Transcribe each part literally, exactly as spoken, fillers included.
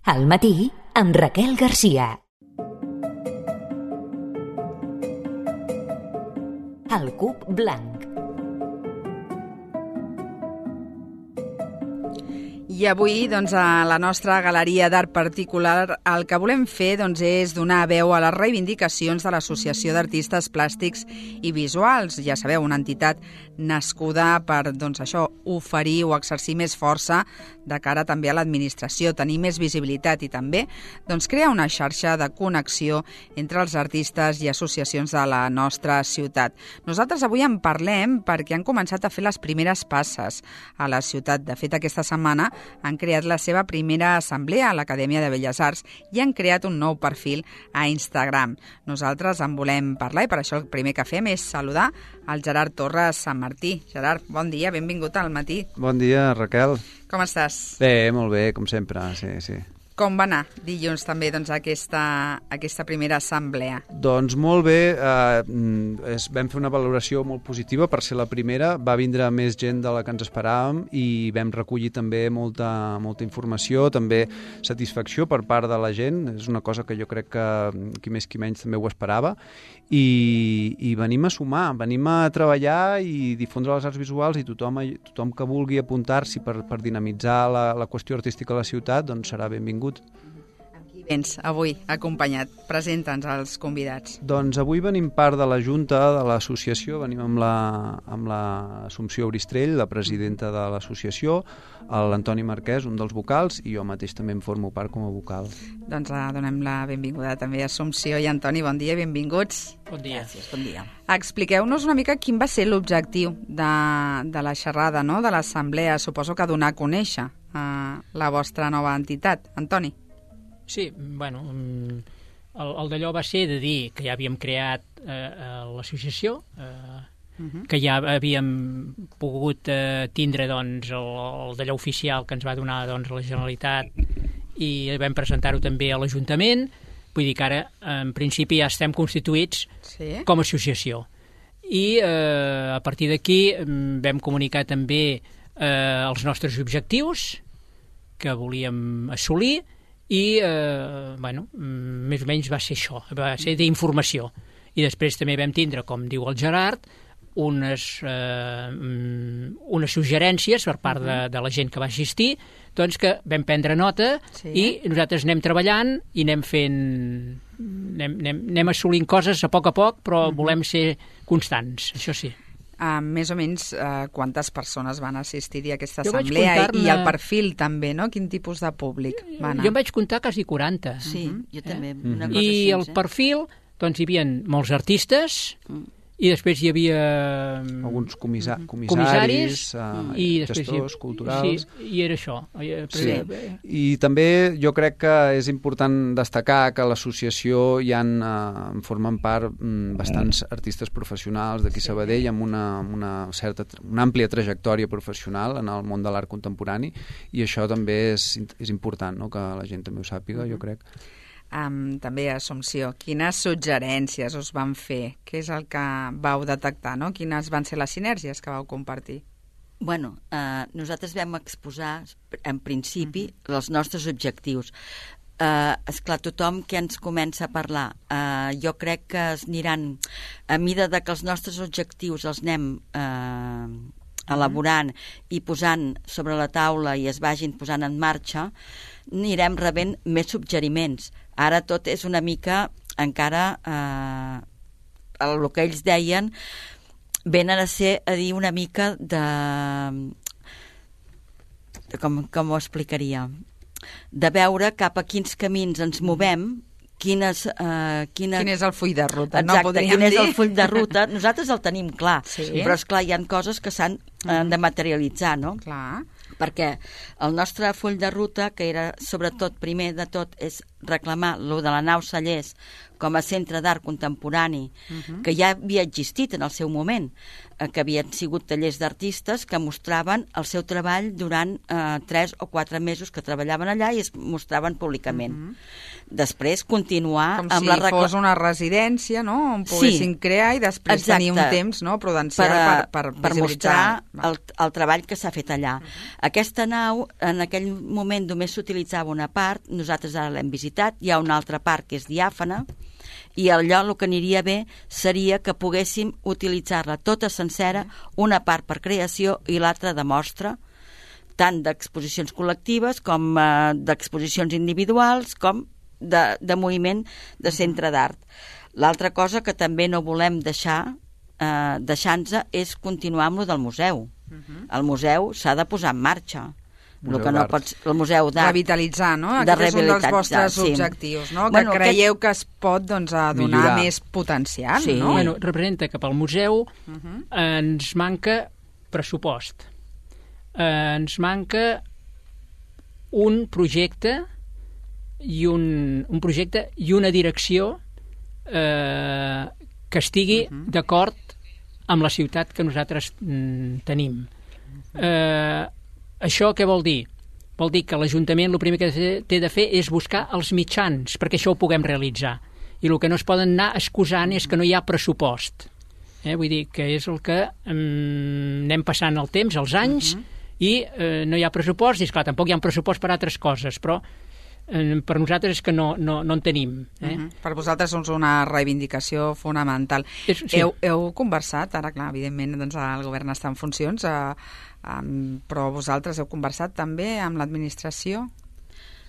Al matí, amb Raquel Garcia. El cub blanc. I avui, doncs, a la nostra galeria d'art particular, el que volem fer doncs, és donar veu a les reivindicacions de l'Associació d'Artistes Plàstics i Visuals. Ja sabeu, una entitat nascuda per, doncs, això, oferir o exercir més força de cara també a l'administració, tenir més visibilitat i també doncs, crear una xarxa de connexió entre els artistes i associacions de la nostra ciutat. Nosaltres avui en parlem perquè han començat a fer les primeres passes a la ciutat. De fet, aquesta setmana han creat la seva primera assemblea a l'Acadèmia de Belles Arts i han creat un nou perfil a Instagram. Nosaltres en volem parlar i per això el primer que fem és saludar el Gerard Torres Sant Martí. Gerard, bon dia, benvingut al matí. Bon dia, Raquel. Com estàs? Bé, molt bé, com sempre, sí, sí. Com va anar dilluns també doncs, aquesta, aquesta primera assemblea? Doncs molt bé, eh, es, vam fer una valoració molt positiva per ser la primera, va vindre més gent de la que ens esperàvem i vam recollir també molta, molta informació, també satisfacció per part de la gent, és una cosa que jo crec que qui més qui menys també ho esperava, i, i venim a sumar, venim a treballar i difondre les arts visuals i tothom, tothom que vulgui apuntar-s'hi per, per dinamitzar la, la qüestió artística a la ciutat, doncs serà benvingut. Amb qui vens avui acompanyat? Presenta'ns als convidats. Doncs avui venim part de la Junta de l'associació, venim amb la, amb l'Assumpció Bristrell, la presidenta de l'associació, l'Antoni Marquès, un dels vocals, i jo mateix també en formo part com a vocal. Doncs uh, donem la benvinguda també a Assumpció i Antoni, bon dia, benvinguts. Bon dia. Gràcies, bon dia. Expliqueu-nos una mica quin va ser l'objectiu de, de la xerrada, no? De l'assemblea, suposo que donar a conèixer uh, la vostra nova entitat. Antoni. Sí, bueno, el, el d'allò va ser de dir que ja havíem creat eh, l'associació, eh, uh-huh. que ja havíem pogut eh, tindre doncs, el, el d'allò oficial que ens va donar doncs, la Generalitat i vam presentar-ho també a l'Ajuntament, vull dir que ara en principi ja estem constituïts sí. com a associació. I eh, a partir d'aquí vam comunicar també eh, els nostres objectius que volíem assolir i, eh, bueno, més o menys va ser això, va ser d'informació. I després també vam tindre, com diu el Gerard, unes, eh, unes suggerències per part de, de la gent que va assistir, doncs que vam prendre nota sí. i nosaltres anem treballant i anem fent... anem, anem, anem assolint coses a poc a poc, però uh-huh. volem ser constants, això sí. Uh, més o menys uh, quantes persones van assistir-hi a aquesta jo assemblea i el perfil també, no? Quin tipus de públic va anar? Jo em vaig comptar quasi quaranta. Sí, uh-huh. jo també. Eh? Una cosa I així, el eh? perfil, doncs hi havia molts artistes, mm. i després hi havia... alguns comissa comissaris, comissaris uh, i gestors hi... culturals... Sí, i era això. Sí. I també jo crec que és important destacar que a l'associació hi ha, uh, en formen part um, bastants artistes professionals d'aquí sí. Sabadell amb una, amb una certa, una àmplia trajectòria professional en el món de l'art contemporani i això també és, és important, no? Que la gent també ho sàpiga, mm-hmm. jo crec. Um, també, Assumpció, quines suggerències us van fer? Què és el que vau detectar, no? Quines van ser les sinergies que vau compartir? Bueno, eh, nosaltres vam exposar, en principi, uh-huh. els nostres objectius. Eh, esclar, tothom que ens comença a parlar, eh, jo crec que es aniran, a mida de que els nostres objectius els anem eh, elaborant i posant sobre la taula i es vagin posant en marxa, anirem rebent més suggeriments. Ara tot és una mica, encara, eh, el que ells deien, venen a ser a dir una mica de... de com, com ho explicaria? De veure cap a quins camins ens movem, quines, uh, quina... quin és el full de ruta, exacte, no podríem quin dir? és el full de ruta. Nosaltres el tenim clar, sí. però esclar, hi ha coses que s'han uh, de materialitzar, no? Clar. Perquè el nostre full de ruta, que era sobretot, primer de tot, és reclamar lo de la nau Cellers com a centre d'art contemporani, uh-huh. que ja havia existit en el seu moment, eh, que havien sigut tallers d'artistes que mostraven el seu treball durant eh, tres o quatre mesos que treballaven allà i es mostraven públicament. Uh-huh. després continuar com amb si la recla... fos una residència, no?, on poguessin sí, crear i després exacte. tenir un temps, no?, prudencial per, per, per, per mostrar el, el treball que s'ha fet allà. Uh-huh. Aquesta nau, en aquell moment només s'utilitzava una part, nosaltres ara l'hem visitat, hi ha una altra part que és diàfana, i allò el que aniria bé seria que poguéssim utilitzar-la tota sencera, una part per creació i l'altra de mostra, tant d'exposicions col·lectives com eh, d'exposicions individuals, com de, de moviment de centre d'art. L'altra cosa que també no volem deixar, eh, deixar-nos, és continuar amb lo del museu. Uh-huh. El museu s'ha de posar en marxa. El, que no pots, el museu d'art. Revitalitzar, no? Aquest és un dels vostres sí. objectius, no? Bueno, que creieu aquest... que es pot doncs, a donar Millorar. més potencial, sí. no? Bueno, representa que pel museu uh-huh. ens manca pressupost. Eh, ens manca un projecte i un, un projecte i una direcció eh, que estigui uh-huh. d'acord amb la ciutat que nosaltres mm, tenim. Eh, això què vol dir? Vol dir que l'Ajuntament el primer que té de fer és buscar els mitjans perquè això ho puguem realitzar. I el que no es poden anar excusant és que no hi ha pressupost. Eh? Vull dir que és el que mm, anem passant el temps, els anys, uh-huh. i eh, no hi ha pressupost, i esclar, tampoc hi ha un pressupost per altres coses, però eh, per nosaltres és que no, no, no en tenim. Eh? Uh-huh. Per vosaltres és una reivindicació fonamental. És, sí. heu, heu conversat, ara clar, evidentment doncs, el govern està en funcions, eh, Um, però vosaltres heu conversat també amb l'administració?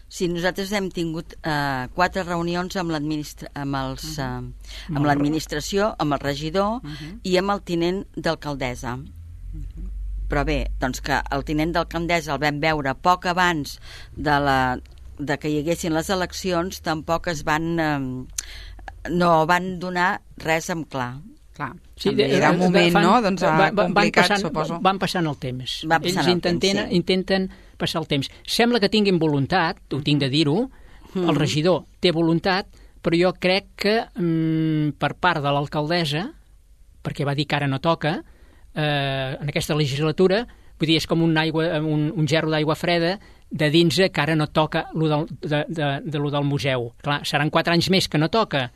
Sí, nosaltres hem tingut eh, quatre reunions amb l'administració, amb, els, eh, amb l'administració, amb el regidor uh-huh. i amb el tinent d'alcaldessa. Uh-huh. Però bé, doncs que el tinent d'alcaldessa el vam veure poc abans de, la, de que hi haguessin les eleccions, tampoc es van eh, no van donar res en clar. Clar, sí, era un moment, fan, no?, doncs, va, va, complicat, passant, suposo. Van passant el temps. Van passant Ells el intenten, temps, sí. intenten passar el temps. Sembla que tinguin voluntat, ho tinc de dir-ho, mm. el regidor té voluntat, però jo crec que mm, per part de l'alcaldessa, perquè va dir que ara no toca, eh, en aquesta legislatura, vull dir, és com un, aigua, un, un gerro d'aigua freda de dins que ara no toca lo del, de, de, de lo del museu. Clar, seran quatre anys més que no toca.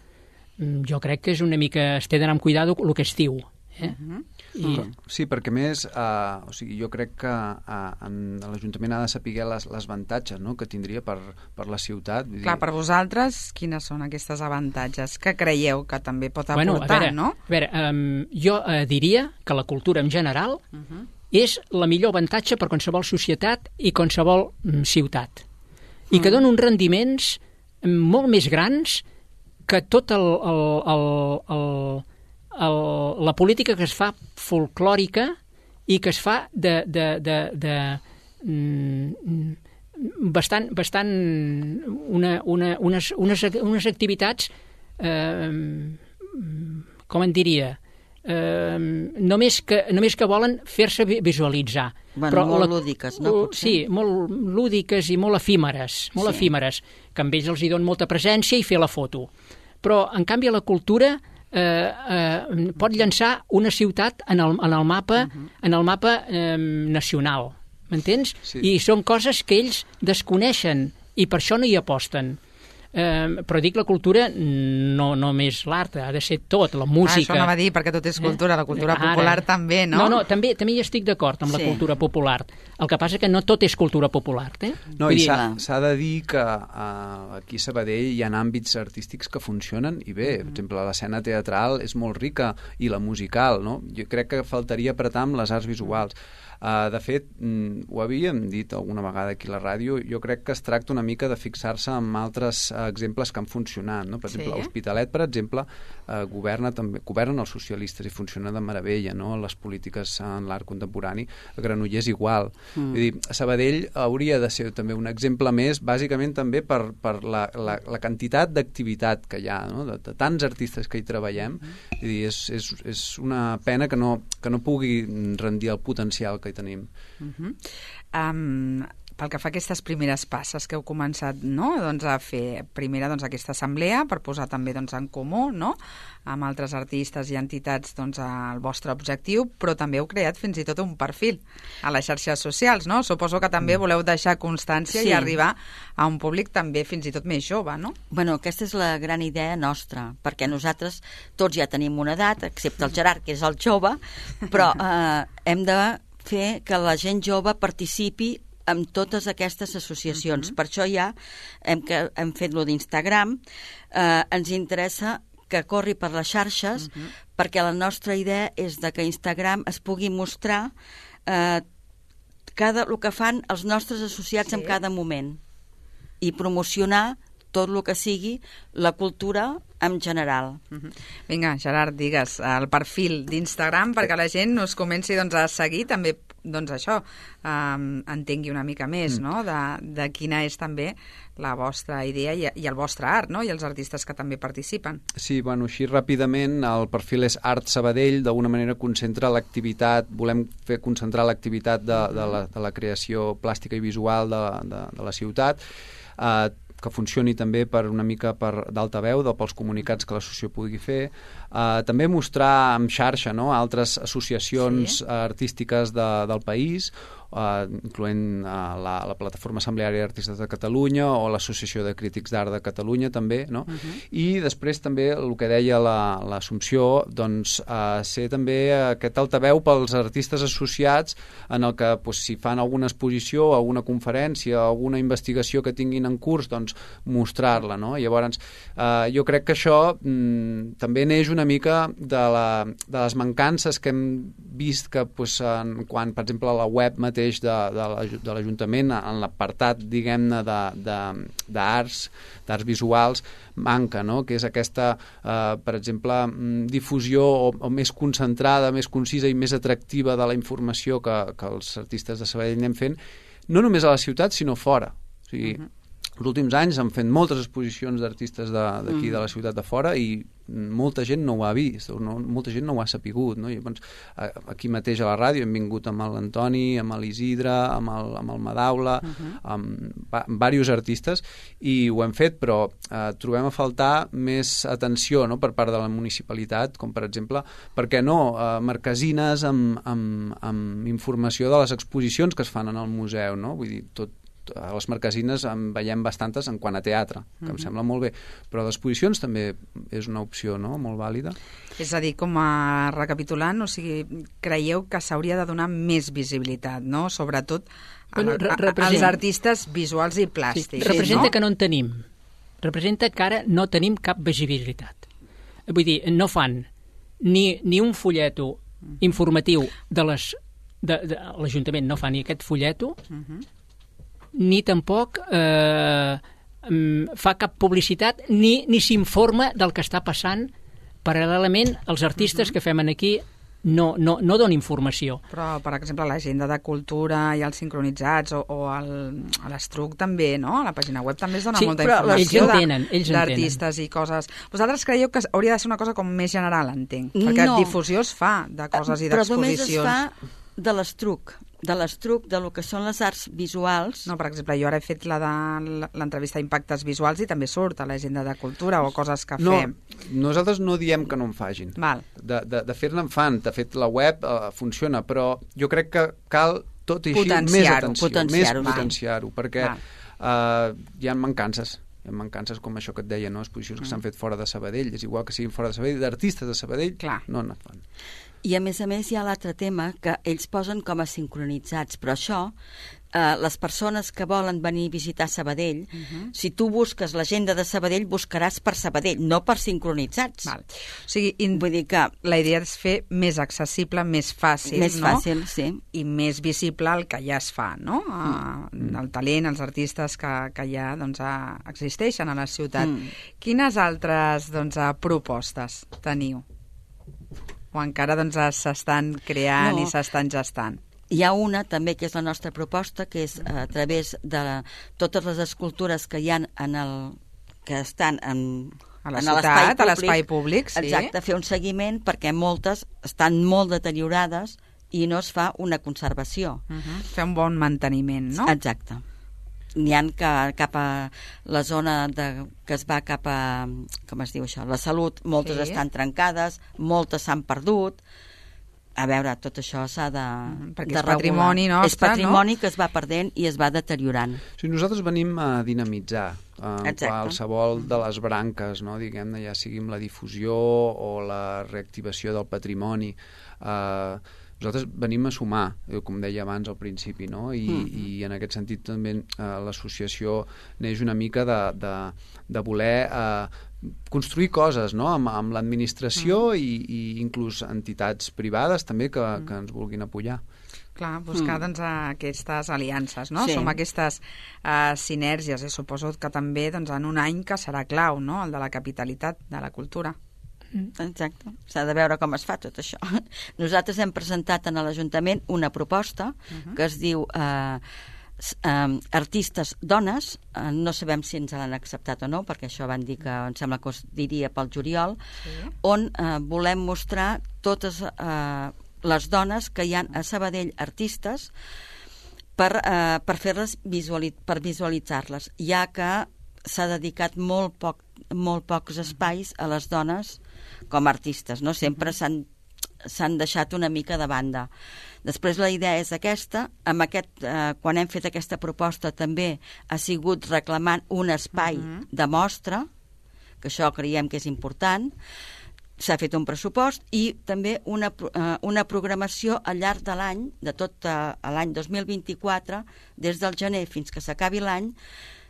Jo crec que és una mica... es té d'anar amb cuidado el que es diu. Eh? Uh-huh. I... Sí, perquè més, uh, o sigui, jo crec que uh, l'Ajuntament ha de saber les, les avantatges, no?, que tindria per, per la ciutat. Vull Clar, dir... per vosaltres, quines són aquestes avantatges que creieu que també pot aportar, bueno, a veure, no? A veure, um, jo uh, diria que la cultura en general uh-huh. és la millor avantatge per qualsevol societat i qualsevol um, ciutat. I uh-huh. que dona uns rendiments um, molt més grans que tot el, el, el, el, el, la política que es fa folclòrica i que es fa de, de, de, de mm, bastant, bastant una, una, unes, unes, unes activitats eh, com en diria eh, només, que, només que volen fer-se visualitzar. Bueno, però molt la, lúdiques, no? Potser? Sí, molt lúdiques i molt efímeres, molt sí. efímeres, que amb ells els hi donen molta presència i fer la foto. Però, en canvi, la cultura eh, eh, pot llançar una ciutat en el, en el mapa, uh-huh. en el mapa eh, nacional, m'entens? Sí. I són coses que ells desconeixen i per això no hi aposten. Eh, però dic la cultura no només l'art, ha de ser tot, la música. Ah, això anava a dir, perquè tot és cultura, la cultura Ara. popular també, no? No, no, també, també hi estic d'acord amb sí. la cultura popular. El que passa que no tot és cultura popular, eh? No, i s'ha de dir que uh, aquí a Sabadell hi ha àmbits artístics que funcionen i bé, mm. per exemple, l'escena teatral és molt rica i la musical, no? Jo crec que faltaria apretar amb les arts visuals. Uh, de fet, mm, ho havíem dit alguna vegada aquí a la ràdio, jo crec que es tracta una mica de fixar-se en altres uh, exemples que han funcionat, no? Per exemple, sí. l'Hospitalet, per exemple, uh, governa també, governen els socialistes i funciona de meravella, no?, les polítiques en l'art contemporani. A Granollers igual. Mm. Vull dir, Sabadell hauria de ser també un exemple més, bàsicament també per, per la, la, la quantitat d'activitat que hi ha, no?, de, de tants artistes que hi treballem. Mm. Vull dir, és, és, és una pena que no, que no pugui rendir el potencial que tenim. Uh-huh. Um, pel que fa a aquestes primeres passes que heu començat, no?, doncs a fer primera doncs, aquesta assemblea per posar també doncs, en comú, no?, amb altres artistes i entitats doncs, el vostre objectiu, però també heu creat fins i tot un perfil a les xarxes socials, no? Suposo que també voleu deixar constància Sí. i arribar a un públic també fins i tot més jove, no? Bueno, aquesta és la gran idea nostra, perquè nosaltres tots ja tenim una edat, excepte el Gerard, que és el jove, però eh, hem de fer que la gent jove participi en totes aquestes associacions. Uh-huh. Per això ja hem, que, hem fet lo d'Instagram. Eh, ens interessa que corri per les xarxes, uh-huh. perquè la nostra idea és de que Instagram es pugui mostrar eh, cada, el que fan els nostres associats sí. en cada moment i promocionar tot el que sigui la cultura en general. Uh-huh. Vinga, Gerard, digues el perfil d'Instagram perquè la gent us comenci doncs, a seguir també, doncs això, um, entengui una mica més, mm. no?, de, de quina és també la vostra idea i, i el vostre art, no?, i els artistes que també participen. Sí, bueno, així ràpidament, el perfil és Art Sabadell, d'alguna manera concentra l'activitat, volem fer concentrar l'activitat de, de, la, de la creació plàstica i visual de, de, de la ciutat, eh, que funcioni també per una mica per d'altaveu, de, pels comunicats que l'associació pugui fer. Uh, també mostrar en xarxa, no?, altres associacions sí. artístiques de, del país, uh, incloent uh, la, la Plataforma Assembleària d'Artistes de Catalunya o l'Associació de Crítics d'Art de Catalunya, també, no? Uh-huh. I després també el que deia l'Assumpció, doncs, uh, ser també aquest altaveu pels artistes associats en el que, pues, si fan alguna exposició, alguna conferència, alguna investigació que tinguin en curs, doncs, mostrar-la, no? Llavors, uh, jo crec que això mm, també neix una mica de, la, de les mancances que hem vist que, pues, en, quan, per exemple, la web mateix de, de l'Ajuntament, en l'apartat, diguem-ne, d'arts, d'arts visuals, manca, no?, que és aquesta, eh, per exemple, difusió o, o més concentrada, més concisa i més atractiva de la informació que, que els artistes de Sabadell anem fent, no només a la ciutat, sinó fora. O sigui, uh-huh. els últims anys han fet moltes exposicions d'artistes d'aquí, de, de la ciutat de fora, i molta gent no ho ha vist, no, molta gent no ho ha sapigut, no? I, doncs, aquí mateix a la ràdio hem vingut amb l'Antoni, amb l'Isidre, amb el, amb el Madaula, uh-huh. amb, amb diversos artistes, i ho hem fet, però eh, trobem a faltar més atenció, no?, per part de la municipalitat, com per exemple, per què no, eh, marquesines amb, amb, amb informació de les exposicions que es fan en el museu, no? Vull dir, tot a les marquesines en veiem bastantes en quant a teatre, que uh-huh. em sembla molt bé, però l'exposicions també és una opció, no?, molt vàlida. És a dir, com a recapitulant, o sigui, creieu que s'hauria de donar més visibilitat, no?, sobretot bueno, a, a, als artistes visuals i plàstics. Sí, representa no? que no en tenim. Representa que ara no tenim cap visibilitat. Vull dir, no fan ni, ni un folleto informatiu de les... De, de, l'Ajuntament no fa ni aquest folleto, uh-huh. ni tampoc eh, fa cap publicitat, ni, ni s'informa del que està passant. Paral·lelament, els artistes uh-huh. que fem aquí no, no, no donen informació. Però, per exemple, l'agenda de cultura i els sincronitzats o, o el, l'Estruc també, no? A la pàgina web també es dona sí, molta informació d'artistes i coses. Vosaltres creieu que hauria de ser una cosa com més general, entenc? Perquè no. difusió es fa de coses i d'exposicions. Però només es fa de l'Estruc, de l'Estruc, de lo que són les arts visuals. No, per exemple, jo ara he fet la de l'entrevista d'impactes visuals i també surt a l'agenda de cultura o coses que no, fem. Nosaltres no diem que no en fagin. Val. De, de, de fer-ne en fan. De fet, la web uh, funciona, però jo crec que cal tot i així més atenció, potenciar-ho, més potenciar-ho, perquè uh, hi ha mancances. Hi ha mancances com això que et deia, no? Exposicions mm. que s'han fet fora de Sabadell. És igual que siguin fora de Sabadell, d'artistes de Sabadell, Clar. no en fan. I a més a més hi ha l'altre tema que ells posen com a sincronitzats, però això, eh, les persones que volen venir a visitar Sabadell, uh-huh. si tu busques l'agenda de Sabadell, buscaràs per Sabadell, no per sincronitzats. Val. O sigui, in... vull dir que la idea és fer més accessible, més fàcil, més no? fàcil, sí. I més visible el que ja es fa, no? Mm. El talent, els artistes que, que ja doncs, existeixen a la ciutat. Mm. Quines altres doncs, propostes teniu? O encara doncs, s'estan creant no. i s'estan gestant? Hi ha una també que és la nostra proposta, que és a través de totes les escultures que hi ha en el, que estan en, a la en ciutat, a l'espai públic. Sí. Exacte, fer un seguiment perquè moltes estan molt deteriorades i no es fa una conservació. Uh -huh. Fer un bon manteniment, no? Exacte. N'hi ha que cap a la zona de, que es va cap a, com es diu això, la salut, moltes sí. estan trencades, moltes s'han perdut. A veure, tot això s'ha de, mm, perquè de és patrimoni regular. nostre, és patrimoni no? que es va perdent i es va deteriorant. Sí, nosaltres venim a dinamitzar eh, Exacte. qualsevol de les branques, no? Diguem-ne, ja sigui amb la difusió o la reactivació del patrimoni. Eh, nosaltres venim a sumar, com deia abans al principi, no? I, mm. i en aquest sentit també eh, l'associació neix una mica de, de, de voler eh, construir coses, no? amb, amb l'administració mm. i, i inclús entitats privades també que, mm. que ens vulguin apoyar. Clar, buscar mm. doncs, aquestes aliances, no? Sí. Som aquestes uh, sinergies, i suposo que també doncs, en un any que serà clau, no? El de la capitalitat de la cultura. Exacte, s'ha de veure com es fa tot això. Nosaltres hem presentat en l'Ajuntament una proposta uh-huh. que es diu eh, eh, Artistes Dones, eh, no sabem si ens l'han acceptat o no, perquè això van dir que em sembla que es diria pel juliol, sí. on eh, volem mostrar totes eh, les dones que hi ha a Sabadell, artistes, per, eh, per fer-les visualitzar, per visualitzar-les, ja que s'ha dedicat molt, poc, molt pocs espais a les dones com a artistes, no? Sempre s'han s'han deixat una mica de banda. Després la idea és aquesta, amb aquest, eh, quan hem fet aquesta proposta també ha sigut reclamant un espai uh-huh. de mostra, que això creiem que és important, s'ha fet un pressupost i també una, eh, una programació al llarg de l'any, de tot eh, l'any dos mil vint-i-quatre, des del gener fins que s'acabi l'any,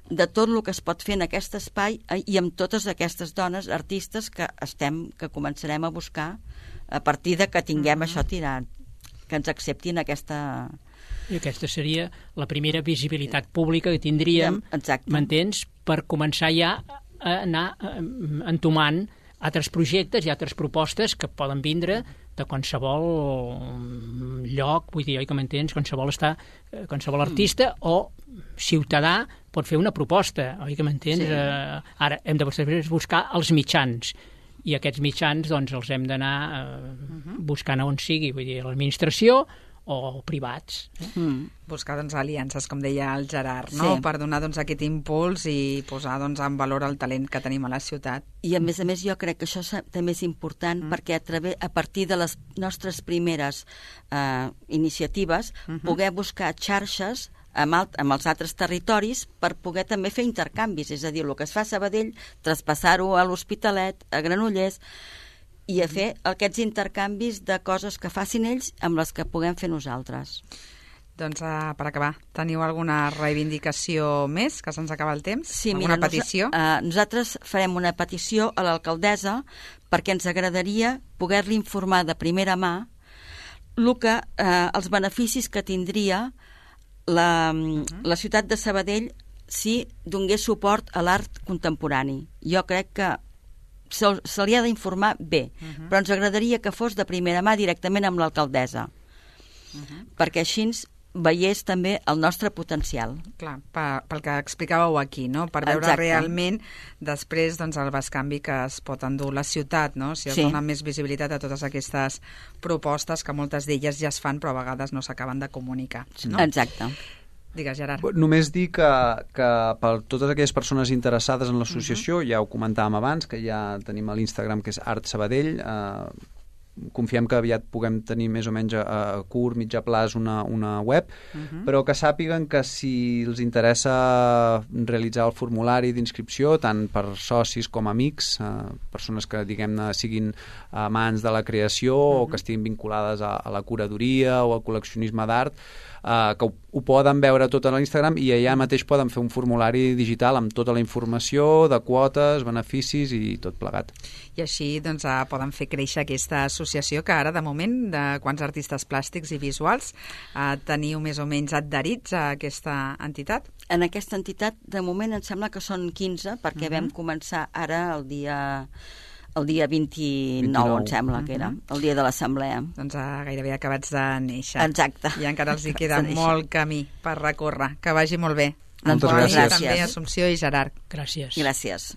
de tot el que es pot fer en aquest espai i amb totes aquestes dones artistes que estem, que començarem a buscar a partir de que tinguem uh-huh. això tirat, que ens acceptin aquesta... I aquesta seria la primera visibilitat pública que tindríem, m'entens, per començar ja a anar entomant altres projectes i altres propostes que poden vindre de qualsevol lloc, vull dir, oi que m'entens, qualsevol, està, qualsevol artista o ciutadà pot fer una proposta, oi que m'entens? Sí. Eh, ara hem de buscar els mitjans i aquests mitjans doncs els hem d'anar eh, buscant on sigui, vull dir, l'administració o privats. Eh? Mm. Buscar doncs, aliances, com deia el Gerard, no? Sí. Per donar doncs, aquest impuls i posar doncs, en valor el talent que tenim a la ciutat. I a més a més jo crec que això també és important mm. perquè a, través, a partir de les nostres primeres eh, iniciatives mm-hmm. poder buscar xarxes amb, alt, amb els altres territoris per poder també fer intercanvis, és a dir, el que es fa a Sabadell, traspassar-ho a l'Hospitalet, a Granollers, i a fer aquests intercanvis de coses que facin ells amb les que puguem fer nosaltres. Doncs uh, per acabar, teniu alguna reivindicació més, que se'ns acaba el temps? Sí, alguna mira, petició? Nos, uh, nosaltres farem una petició a l'alcaldessa perquè ens agradaria poder-li informar de primera mà el que, uh, els beneficis que tindria la, uh-huh. la ciutat de Sabadell si donés suport a l'art contemporani. Jo crec que se, se li ha d'informar bé, uh-huh. però ens agradaria que fos de primera mà directament amb l'alcaldessa, uh-huh. perquè així veiés també el nostre potencial. Clar, pel que explicàveu aquí, no? Per veure Exacte. realment després doncs, el bescanvi que es pot endur la ciutat, no? Si es sí. dona més visibilitat a totes aquestes propostes que moltes d'elles ja es fan però a vegades no s'acaben de comunicar. No? Exacte. Digues, Gerard. Només dir que, que per totes aquelles persones interessades en l'associació, uh-huh. ja ho comentàvem abans, que ja tenim a l'Instagram que és Art Sabadell, eh, confiem que aviat puguem tenir més o menys a, a curt, mitjà plaç una, una web, uh-huh. però que sàpiguen que si els interessa realitzar el formulari d'inscripció, tant per socis com amics, eh, persones que diguem-ne siguin amants de la creació uh-huh. o que estiguin vinculades a, a la curadoria o al col·leccionisme d'art, Uh, que ho, ho poden veure tot a l'Instagram i allà mateix poden fer un formulari digital amb tota la informació de quotes, beneficis i tot plegat. I així doncs, uh, poden fer créixer aquesta associació que ara, de moment, de quants artistes plàstics i visuals uh, teniu més o menys adherits a aquesta entitat? En aquesta entitat, de moment, em sembla que són quinze, perquè uh-huh. vam començar ara el dia... el dia vint-i-nou, vint-i-nou. Em sembla que era, el dia de l'assemblea. Doncs uh, gairebé acabats de néixer. Exacte. I encara els hi queda molt camí per recórrer. Que vagi molt bé. Moltes gràcies. També Assumpció i Gerard. Gràcies. Gràcies.